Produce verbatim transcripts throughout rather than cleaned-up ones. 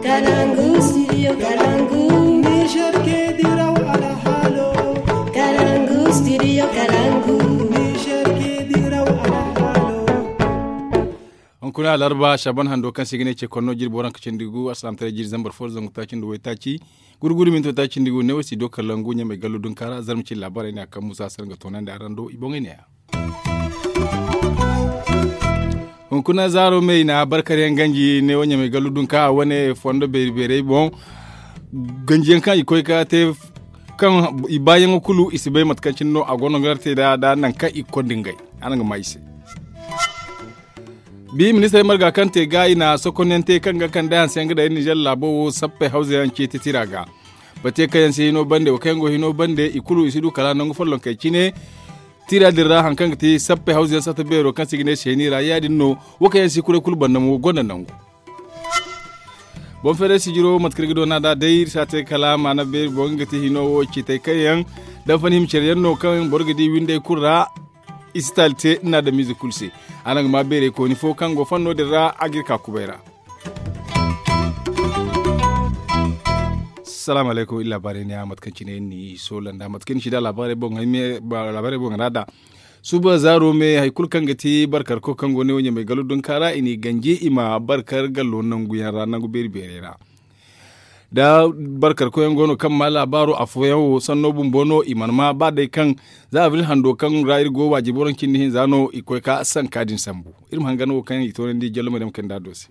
Kalangu, studio Kalangu. Niger ke diraw alhalo. Kalangu, studio Kalangu. Niger ke diraw alhalo. Hunkuna alarba shaban hando kaŋ se ga ne ce konno jirbi waranka cindi gu asalam tare jiri zambar fo zangu taaci nda waytaaci gurguri minto taaci nda gu ne wo si do kalangu ɲamay gallu dunkaara zarma ci labaray ne a kaŋ musa sar ga toonandi araŋ do i boŋey ne ya. Hunkuna zaaro me i na barkar yaŋ ganji ne wo ɲamay gallu dunka a wane fondo beeri beerey boŋ. Ganji yaŋ kaŋ i koy ka te kaŋ i baayaŋo kulu i si bay mate kaŋ cine no a go no ga te da da naŋ kaŋ i ga konda ngey. Araŋ ga ma i se. Bi ministarey marga kaŋ te ga i na sokonyaŋ te kaŋ ga kande hanse yaŋ ga day nizer laabo wo sappey hawza yaŋ ceeti tira ga. Bate kaŋ yaŋ si hino bande wo kaŋ yaŋ go hino bande i kulu i si du kala nangu follonkey cine. Tira din ra haŋ kaŋ ga ti sappey hawza yaŋ sata beero kaŋ se i ga ne seeni ra ya- din no. Wo kaŋ yaŋ si kuray kulu banda mo gonda nangu. Boŋ feeray sijiro mate kaŋ iri ga doona nd'a day iri si a te kala maana beeri boŋ nga ga ti hino wo ciitay kaŋ yaŋ daŋ fani hima care yaŋ no kaŋ boro ga di winday kulu ra. I si taali te nda adamize kulu se. Araŋ ga ma beeray kooni fo kaŋ go fanno din ra a ga iri ka kubay ra. Salaamu alaykum iri laabaarey ne ya mate kaŋ cine iri n'i soola nda mate kaŋ iri n'i ci nd'a laabaarey boŋ ra da suba zaaro me hari kulu kaŋ ga ti barkarko kaŋ go ne wo ɲamay galu dunka ra i n'i ganji i ma barkar gallo nangu yaŋ ra nangu beeri beerey ra. Da barkarko yaŋ go no kaŋ ma laabaaro afooyaŋ wo sanno bumbo no i mana ma ba day kaŋ za abril hando kaŋ ra iri go waajibi waranka cindi hinza no i koy ka sanka din sambu. Iri ma hangan wo kaŋ i toonandi jallo ma day ma kay nd'a do se.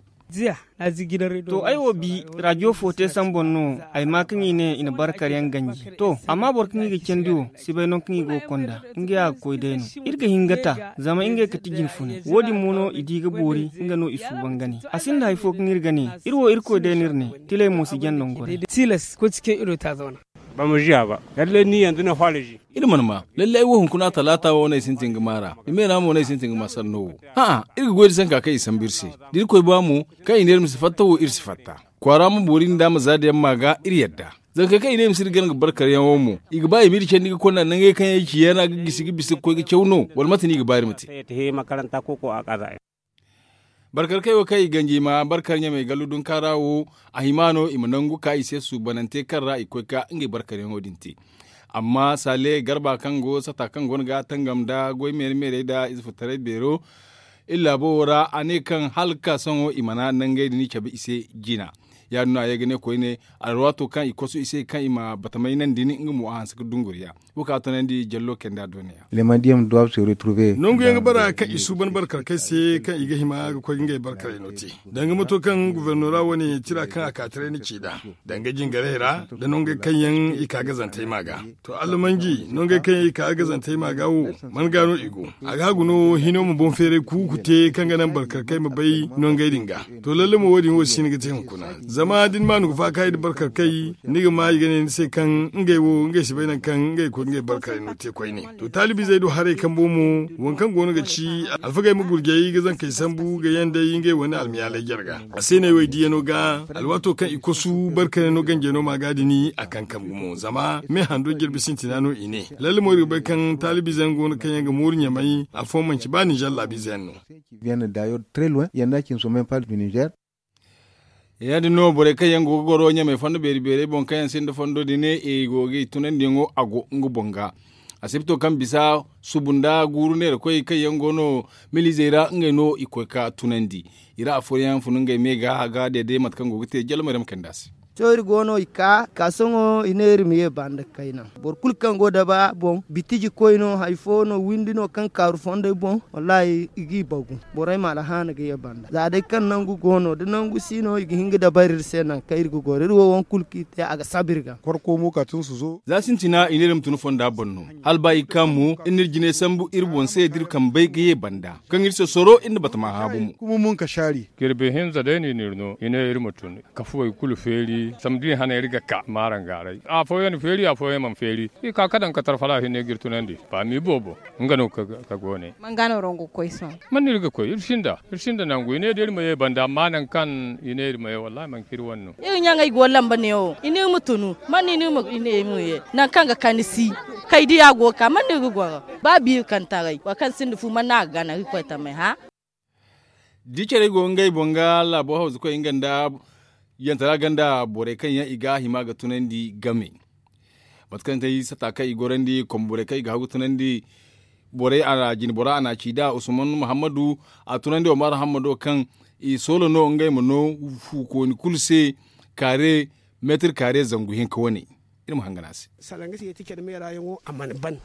To ay wo bi rajo fo te sambu no ay ma kaŋ i ne i na barkar yaŋ ganji to amma boro kaŋ i ga candi wo si bay nangu kaŋ i go ga konda. Ngey a ga koy day no iri ga hin ga ta zama ngey ga ti jinfunay wo- din mo no i di ga boori nga no i suuban ga ne. A sinda hari fo kaŋ iri ga ne iri wo irkoy day no iri ne. Tilay mo si jaŋ nango ra. Tilas koy ti kaŋ iri wo ta zauna. Ba ma ziya ba. Lallai ni yanzu na fara ji. Iri mana ma lallai ay wo hunkuna talaata wo no ay sintin ga maara. Ni me ra mo no ay sintin ga ma sanno wo. Hã'ã iri ga goy da sanka kaŋ i sambu iri se. Da irkoy ba mo kaŋ i ne iri ma si fatta wo iri si fatta. Kwaara ma boori nda ma za da yaŋ ma ga iri yadda. Zanga kaŋ i ne i ma si iri gana ga barkar yaŋo mo i ga ba i ma iri candi ga konda nangey kaŋ yaŋ i ci yaŋ ra ga gisi ga bisa ga koy ga caw no wala mate no i ga ba iri ma te. Barkar kay wo kaŋ i ganji ma barkar ɲamay gallu dunkaara wo. A hima no i ma nangu ka i se suubanante kaŋ ra i koy ka ngey barkar yaŋo din te. Amma saale garba kaŋ go sata kaŋ go no ga tangam nda goy meeri meerey nda ize furtaray beero iri laabo wo ra a ne kaŋ hala ga ka sohõ i mana nangey din cabe i se jina. Ya- din no a ye ga ne koyne alwaato kaŋ i kosu i se kaŋ i ma batamay naŋ din nga mo a hanse ga dunguriya. Wo kaŋ a toonandi jallo kayndi a dooniya. Nangu yaŋ ga bara kaŋ i suuban barkarkey se kaŋ i ga hima ga koy ga ngey barkarey no te. Danga mato kaŋ gubernora wane tira kaŋ a ka taray na ci nd'a danga jingarey ra, da nongey kaŋ yaŋ i ka gazantey ma ga. To allamanji nongey kaŋ yaŋ i ka gazantey ma ga wo, man ga no i go? A ga hagu no hino ma boŋ feeray kuuku te kaŋ ga naŋ barkarkey ma bay nongey din ga. To lalle mo wo- din wo si hin ga te hunkuna. Zama da ni ma nugu faakaayi nda barkarkey ni ga ma i ga ne ni se kaŋ ngey wo ngey si bay nangu kaŋ ngey ga koy ga ngey barkarey no te koyne. To taalibizey do haray kambo mo, waŋ kaŋ go no ga ci alfagey ma gurjay ga zankey sambu ga yandey ngey wane almiyaaley jarga. A se no ay wo ay diyano ga alwaato kaŋ i kosu barkarey no ganjey no ma ga dini a kaŋ kambu mo zama me hando jirbi sintina no i ne. Lalle mo iri ga bay kaŋ taalibize yaŋ go no kaŋ yaŋ ga mooru ɲamay afooyaŋ manci ba ninzeer laabize yaŋ no. Ya- din no borey kaŋ yaŋ go ga goro ɲamay fondo beeri beerey boŋ kaŋ yaŋ sinda fondo din i go ga i tunandiyaŋo a go nga boŋ ga. Asibto kaŋ bisa subu nda guuru neerakoy kaŋ yaŋ go no milizey ra ngey no i koy ka tunandi. I ra afooyaŋ funu ngey me ga ga deede mate kaŋ go ga te jalla maryam kayndi a se. Sohõ iri go no i ka ka sohõ i ne iri ma ye banda kayna. Boro kulu kaŋ go daba boŋ bitiji koy no hari fo no windi no kaŋ kaaru fondey boŋ. Wallahi i g'i bagu. Borey ma alhaana ga ye banda za day kaŋ nangu go no da nangu si no i ga hin ga dabari iri se nangu kaŋ iri ga goro iri wo waŋ kulu kaŋ i te a ga saba iri ga. Za sintina i ne iri ma tun fonda boŋ no hala ba i ga ka mo iri n'iri jinay sambu iri boŋ se da iri kambey ga ye banda kaŋ iri sosoro iri na batama haabu mo. Jirbi hinza day no i n'iri no i ne iri ma tun. Kafuwey kulu feeri. Samdi hane iri ga ka maarangaaray afooyaŋ na feeri afooyaŋ mana feeri. I ka ka daŋ ka tarfala hinne ga iri tunandi. Faami boobo nga no ka goone. Man ga no rongo ga koy sohõ? Man no iri ga koy iri sinda iri sinda nangu i ne da iri ma ye banda amma nangu kaŋ i ne iri ma ye wallahi manti iri wane no. Iri ɲaŋey go lamba neewo i ne iri ma tunu man no i ne iri ma ye nangu kaŋ ga kani si. Kay diya go ga ka man no iri ga goro ba biiri kaŋ taray boro kaŋ sinda fu man no a ga gana iri koy tamey hã. Da i care go ngey boŋ ga laabo hawzu koy nga nda yantara ganda borey kaŋ yaŋ i ga hima ga tunandi game. Mate kaŋ day sata kaŋ i gorandi komborey kaŋ i ga hagu tunandi borey a na jine bora a na a ci da usman muhammadu. A tunandi omar hammado kaŋ i soolo no ngey ma no fuukooni kulu se kaare meetir kaare zangu hinka wane. Iri ma hangan a se. Salaŋ ga se yeeti care meera yaŋo a mana ban.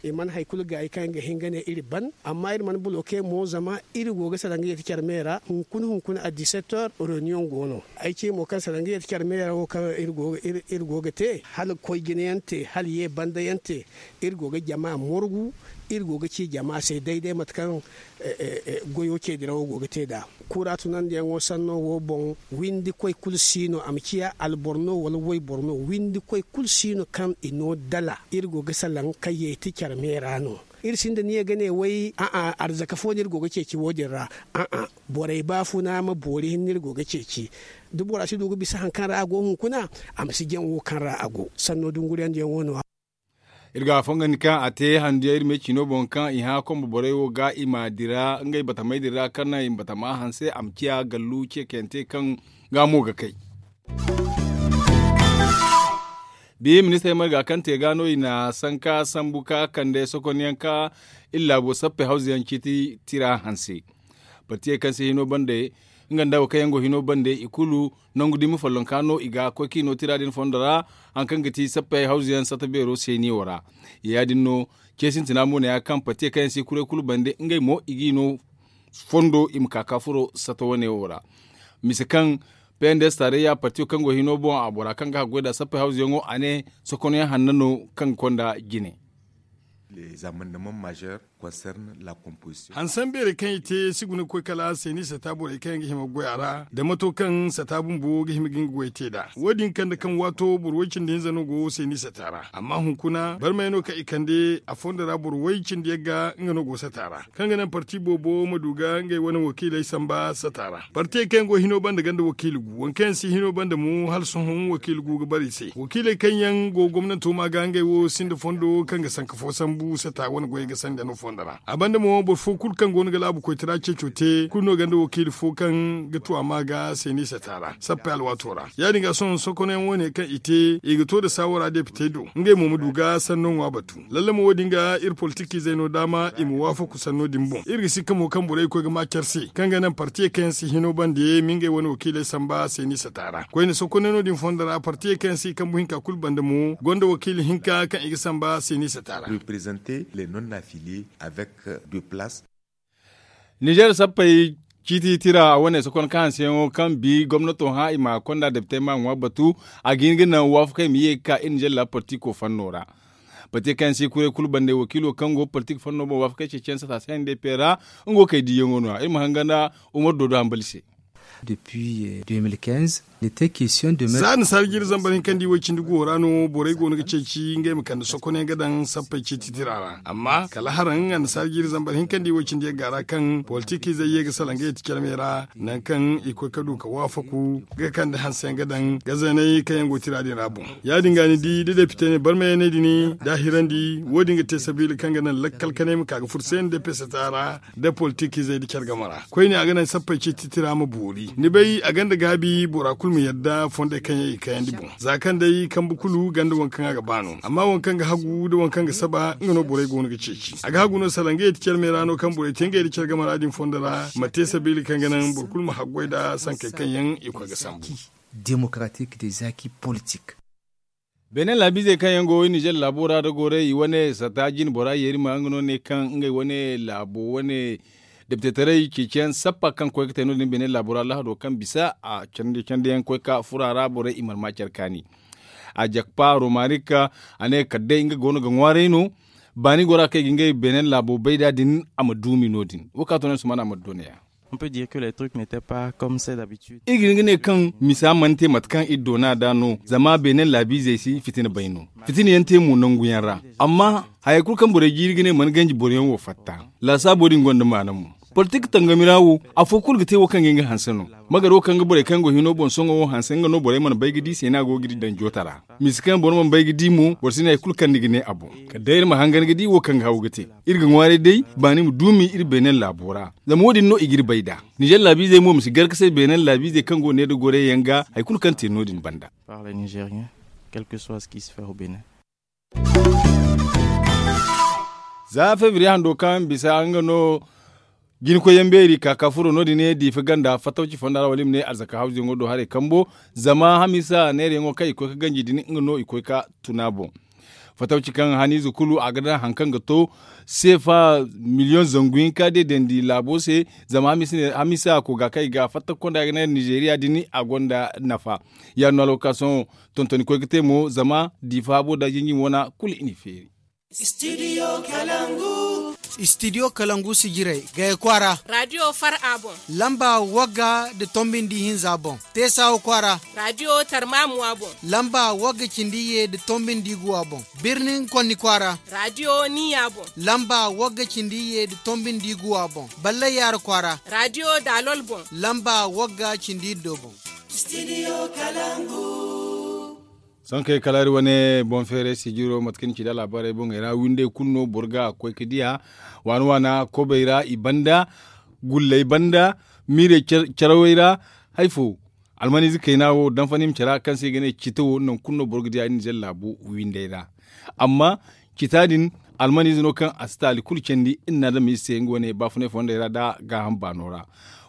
I mana hari kulu gaayi kaŋ yaŋ ga hin ga ne iri ban amma iri mana buloke mo zama iri go ga salaŋ ga yeeti care meera hunkuna hunkuna a disetter reunion go no. Ay ce mo kaŋ salaŋ ga yeeti care meera wo kaŋ iri go ga te hala koy jina yaŋ te hala ye banda yaŋ te. Iri go ga jama morgu iri go ga ci jama se day day mate kaŋ goyo ce dirawo go ga te nd'a. Kura tunandiyaŋo sanno wo boŋ windi koy kulu si no a ma ciya alboro no wala wayboro no windi koy kulu si no kaŋ i no dala iri go ga salaŋ kayyey ti care meera no. Iri sinda niya ga ne way a'a arzaka fo no iri go ga ceeci wo- din ra. A'a borey baafuna ma boori hinne iri go ga ceeci. Da bora si du ga bisa hari kaŋ ra a go hunkuna a ma si jaŋ wo kaŋ ra a go sanno dunguriyandiyaŋo no. Iri ga a fongandi kaŋ a te handu yaŋ iri me ciino boŋ kaŋ i hã kombo borey wo ga i ma dira ngey batamey din ra kaŋ naŋ i ma batama hanse a ma ciya gallu ceekayante kaŋ ga mo ga kay. Bi ministarey marga kaŋ te ga no i na sanka sambu ka kande sokonyaŋ ka iri laabo sappey hawza yaŋ ciiti tira hanse. Partiyey kaŋ se hino bande nga nda wo kaŋ yaŋ go hino bande i kulu nangu dumi follonka no i ga koy kaŋ i no tira din fondo ra. Hari kaŋ ga ti sappey hawza yaŋ sata beero seeniyo ra. Ya- din no ce sintina mo ne ya kaŋ partiyey kaŋ yaŋ si kuray kulu bande ngey mo i g'i no fondo i ma ka ka furo sata wane wo ra. Mise kaŋ pnds taarayya partiyo kaŋ go hino boŋ a bora kaŋ ga haggoy nd'a sappey hawza yaŋo a ne sokonyaŋ hanno no kaŋ ga konda jine. Hansan beerey kaŋ i te si guna ga koy kala seeni sata borey kaŋ yaŋ ga hima ga goy a ra nda mato kaŋ sata bumbo ga hima ga nga goy te nd'a wo- din kande kaŋ waato boro way cindi hinza no go seeni sata ra amma hunkuna barmey no kaŋ i kande a fondo ra boro way cindi yagga nga no go sata ra. Kaŋ ga naŋ parti boobo ma du ga ngey wane wakiiley samba sata ra partiyey kaŋ yaŋ go hino banda ganda wakiili gu waŋ kaŋ yaŋ si hino banda mo hala sohõ wakiili gu ga bare i se wakiiley kaŋ yaŋ go gomnanto ma ga ngey wo sinda fondo kaŋ ga sanka fo sambu sata wane goyey ga sanda no fondo ra a banda mo boro fo kulu kaŋ go no ga laabu koytara ceeco te kulu no ganda wakiili fo kaŋ ga tu a ma ga seeni sata ra sappey alwaato ra. Ya- din ga sohõ sokono yaŋ wane kaŋ i te i ga to nda saawara depite do ngey mo ma du ga sanno ŋwa batu. Lalle mo wo- din ga iri politikiizey no daama i ma waafaku sanno din boŋ iri ga sikka mo kaŋ borey ga koy ga ma care se kaŋ ga naŋ partiyey kaŋ yaŋ si hino bande ma ngey wane wakiiley samba seeni sata ra koyne sokoney no- din fondo ra partiyey kaŋ yaŋ si kambu hinka kulu bande mo gonda wakiili hinka kaŋ i ga samba seeni sata ra. Nizer sappey ciiti tira wane sokon ka hanseyaŋo kaŋ bi gomnato hã i ma konda depitey ma ŋwa batu. A ga hin ga naŋ waafakey ma ye ga ka iri nizer laabu partiko fanno ra. Partiko kaŋ yaŋ si kuray kulu bande wakiilo kaŋ go partiko fanno boŋ waafakey ceeciyaŋ sata se n d p ra. Nga wo kay diiyaŋo no ya iri ma hanga nda umar doodo hambali se. Za nasaara jiiri zambar hinka nda i way cindi guwo ra no borey go no ga ceeci ngey ma kande sokonyaŋ ga daŋ sappey ciiti tira ra amma kala haraŋ annasaara jiiri zambar hinka nda i way cindi yagga ra kaŋ politikiizey ye ga salaŋ ga yeti care me ra. Nangu kaŋ i koy ga du ga waafaku ga kande hanse yaŋ ga daŋ ga zeeney kaŋ yaŋ go tira din ra boŋ. Ya- din ga ni di da depite ne barmayaney din da a hirandi wo- din ga te sabiila kaŋ ga naŋ lakkal kanay ma ka ga furo se nda peseta ra nda politikiizey nda care game ra koyne a ga naŋ sappey ciiti tira ma boori ni bay a gonda gaabi bora kulu ma yadda fondey kaŋ yaŋ i kayandi boŋ za kaŋ day kambe kulu gonda waŋ kaŋ a ga ba no amma waŋ kaŋ ga hagu nda waŋ kaŋ ga saba nga no borey go no ga ceeci a ga hagu no salaŋ ga yeti care me ra no kaŋ borey te ngey nda care game ra din fondo ra ma te sabiila kaŋ ga naŋ boro kulu ma haggoy nda sankey kaŋ yaŋ i koy ga sambu. Démocratique des acquis politiques. Beene laabiizey kaŋ yaŋ go nizer laabo ra da goray i wane sata jine bora yeeri ma nga no ne kaŋ ngey wane laabo wane depitetaray ceeciyaŋ sappa kaŋ koy ga te no- din beene laabo ra lahado kaŋ bisa a candi candi yaŋ koy ga furo a ra borey i mana ma care kaani. A jakpa romarik a ne kala day nga go no ga ŋwaaray no baani gora kaŋ i ga ngey beene laabo bay nd'a din a ma duumi no- din wo kaŋ a to no ni suman a ma du nooya. On peut dire que les trucs n'étaient pas comme c'est d'habitude. Iri ga hin ga ne kaŋ misa mana te mate kaŋ iri doona nd'a no, zama beene laabiizey si fitina bay no. Fitina yaŋ te mo nangu yaŋ ra. Amma hayey kulu kaŋ borey jiiri ga ne mana ganji boro yaŋ wo fatta. Laasaabo din gonda maana mo. Politik tangami ra wo, afo kulu ga te wo kaŋ ga hin ga hanse no. Magar wo kaŋ ga borey kaŋ go hino boŋ sohõ wo hanse nga no borey mana bay ga di se no a go ga iri daŋ joota ra. Misa kaŋ boro mana bay ga di mo boro si ne hari kulu kaŋ ni ga ne a boŋ. Kala day iri ma hangan ga di wo kaŋ ga haw ga te. Iri ga ŋwaaray day baani ma duumi iri beene laabo ra. Zama wo- din no i g'iri bay nd'a. Nizer laabiizey mo ma si gar ga say beene laabiizey kaŋ go ne nda goray yaŋ ga hari kulu kaŋ te no- din banda. Za febriye hando kaŋ bisa nga no. Jinkoyyaŋ beeri ka ka furo no- din ne diifa ganda fattawci fonda ra wala i ma ne arzaka hawzuyaŋo do haray kambo. Zama hamiisa neerayaŋo kaŋ i koy ga ganji din nga no i koy ga tun a boŋ. Fattawci kaŋ haniize kulu a ga daŋ hari kaŋ ga to seefa miliyoŋ zangu hinka deedandi laabo se. Zama hamiisa kooga kaŋ i ga fatta ga konda ga ne nizeriya din a gonda nafa. Ya- din no alwakaasoŋo tonton i koy ga te mo zama diifa habo nda jinjin wana kulu i n'i feeri. Istidiyo kalangu sijirey gaya kwaara. Raadiyo far a boŋ. Lamba wagga nda tombi nda ihinza boŋ. Teesawa kwaara. Raadiyo tarmaamuwa boŋ. Lamba wagga cindi iyye nda tombi nda iguwa boŋ. Birnin konni kwaara. Raadiyo niya boŋ. Lamba wagga cindi iyye nda tombi nda iguwa boŋ. Ballay yaara kwaara. Raadiyo daalol boŋ. Lamba wagga cindi iddo boŋ. Sohõ kay kala iri wane boŋ feeray sijiro mate kaŋ ni ci nda laabaarey boŋey ra windey kulu no boro ga koy ga diya. Waana waana kobey ra i banda gulley banda miirey carawey ra. Hari fo almaniize kayna wo daŋ fanhim cara kaŋ se i ga ne cita wo nangu kulu no boro ga diya iri nizer laabu windey ra. Amma cita din almaniize no kaŋ a si taali kulu candi iri na adamiize se nga wane baafunay fondey ra nda gaaham baano ra.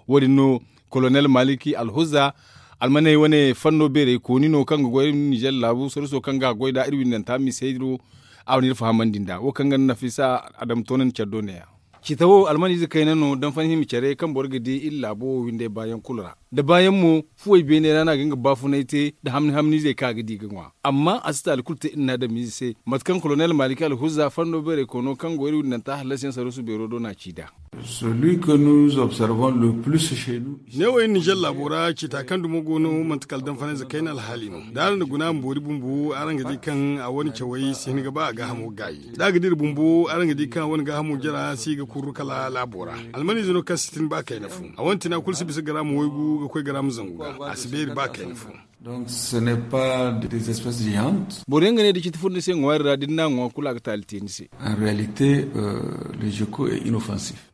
Wo- din no kolonel maliki alhuza almaney wane fanno beerey kooni no kaŋ ga goy iri nizer laabu sorriso kaŋ ga a goy nd'a iri windanta misey do. A wane iri fahamandi nd'a wo kaŋ ga nafisa adama toonandi care do ne- ya. Cita wo almaniize kayna no daŋ fanhim care kaŋ boro ga di iri laabo wo windey baayaŋ kulu ra. Nda baayaŋ mo fuwey beene ra no a ga nga baafunay te nda hamni hamniizey kaŋ a ga di ga ŋwa. Amma a si taali kulu te iri na adamiize se mate kaŋ kolonel maliki alhuza fanno beerey koono kaŋ go iri windanta hallasiyaŋ sarrusu beero do no a ci nd'a. Neewo iri nizer laabo ra cita kaŋ dumo go no manti kala danfanayze kayna alhaali no. Da araŋ na guna ma boori bumbo araŋ ga di kaŋ a wane cawey si hin ga ba a gaahamo gaayi. Da a ga dira bumbo araŋ ga di kaŋ a wane gaahamo jara si ga kurru kala laabo ra. Almaniize no kaŋ si tin ba kayna fo. A wane tina kulu si bisa garaama waygu ga koy garaama zangu ga. A si beeri ba kayna fo. Boro yaŋ ga ne da citi furo ni se ŋwaari ra da ni n'a ŋwa kulu a ga taali te ni se.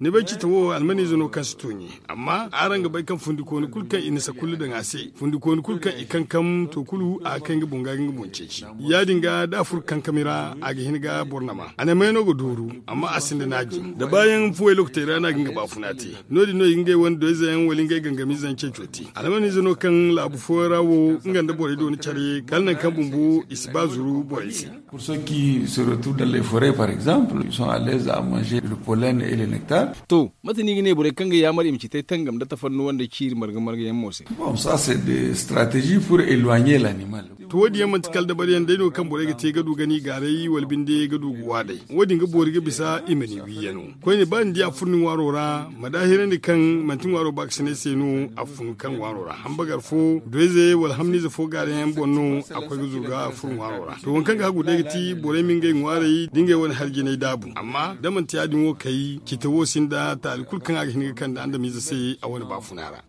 Ni bay cita wo almaniize no kaŋ si tuuɲi. Amma araŋ ga bay kaŋ fundikooni kulu kaŋ i na sakulli daŋ a se fundikooni kulu kaŋ i kankam to kulu a ga kay nga boŋ ga ga nga boŋ ceeci. Ya- din ga da a furo kankami ra a ga hin ga boro nama a na may no ga dooru. Amma a sinda naaji da baayaŋ fuwey lokotey ra no a ga nga baafuna te. No- din no i ga ngey wane doyze yaŋ wala ngey gangamiize yaŋ ceeco te. Almaniize no kaŋ laabu fooyaŋ ra wo nga nda borey dooni care kala nangu kaŋ bumbo i si ba zuru borey se. Pour ceux qui se retrouvent dans les forêts par exemple ils sont à l'aise à manger le pollen et le nectar. To mate no i ga ne borey kaŋ ga yaamar i ma ci tay tangam nda tafannuwa nda ciiri marga marga yaŋ mo se. Bon ça c'est des stratégies pour éloigner l'animal. To wo- din yaŋ manti kala dabariyaŋ day no kaŋ borey ga te ga du gani gaaray wala binde ga du ga waadey. Wo- din ga boori ga bisa i ma ni wiiyano. Koyne ba ni di a furo ni ŋwaaro ra ma daahirandi kaŋ manti ŋwaaro baakasinay se no a fun kaŋ ŋwaaro ra hambagar fo doyze wala hamniize fo gaarayaŋ boŋ no a koy ga zuru ga furo ŋwaaro ra. To waŋ kaŋ ga hagu day ga ti borey ma ngey ŋwaarey da ngey wane hari jinay daabu amma da manti ya- din wo kay cita wo sinda taali kulu kaŋ a ga hin ga kande andamiize se a wane baafuna ra.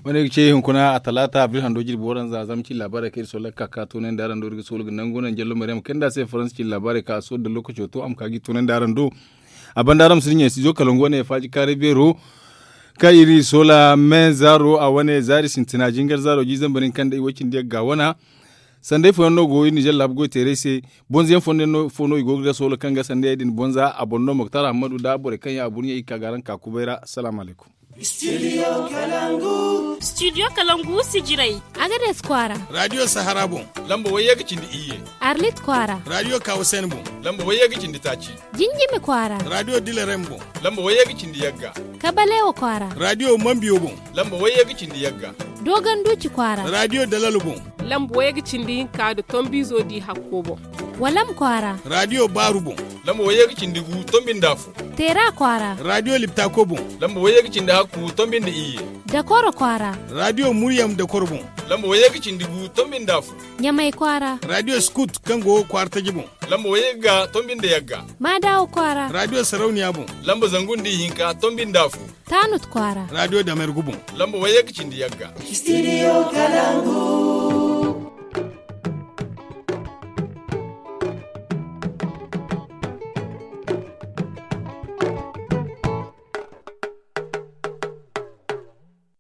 Wane ga ce hunkuna a talaata abril hando jirbi waranza zama ci laabaarey kaŋ iri soolay ga ka ka toonandi araŋ do iri ga soolu ga nangu naŋ jallo maryam kayna nda a se faransa ci laabaarey kaŋ a soolu nda lookaco to a ma ka ga i toonandi araŋ do. A banda araŋ ma si dinya studio kalangu wane faaji kaaray beero kaŋ iri soola me zaaro a wane zaari sintina jingar zaaro jiizambar hinka nda i way cindi yagga wana. Sanday fooyaŋ no go iri nizer laabu goy teeray se. Bonzayaŋ fooyaŋ fo no i go ga da soola kaŋ ga sanday din bonza a boŋ no moktar ahammadu nda borey kaŋ yaŋ a burɲey i ga ka ga araŋ ka kubay ra salaamu alaykum. Studio kalangu sijirey. Agades kwaara. Radio sahara boŋ. Lamba wayye ga cindi iyye. Arlit kwaara. Radio kawasen boŋ. Lamba wayye ga cindi taaci. Jinjimi kwaara. Radio dilerem boŋ. Lamba wayye ga cindi yagga. Kabalewa kwaara. Radio mambiyo boŋ. Lamba wayye ga cindi yagga. Dogonduci kwaara. Radio dalalo boŋ. Lamba wayye ga cindi hinka nda tombizo di hakko boŋ. Walam kwaara. Raadiyo baaru boŋ. Lamba wayye ga cindi gu tombi nda afo. Teera kwaara. Raadiyo liptako boŋ. Lamba wayye ga cindi hakku tombi nda iyye. Dakoro kwaara. Raadiyo muryam dakoro boŋ. Lamba wayye ga cindi gu tombi nda afo. Ɲamay kwaara. Raadiyo skut kaŋ go kwaara taji boŋ. Lamba wayye ga tombi nda yagga. Maadawo kwaara. Raadiyo sarauniya boŋ. Lamba zangu nda ihinka tombi nda afo. Taanut kwaara. Raadiyo damergu boŋ. Lamba wayye ga cindi yagga. Studio Kalangu.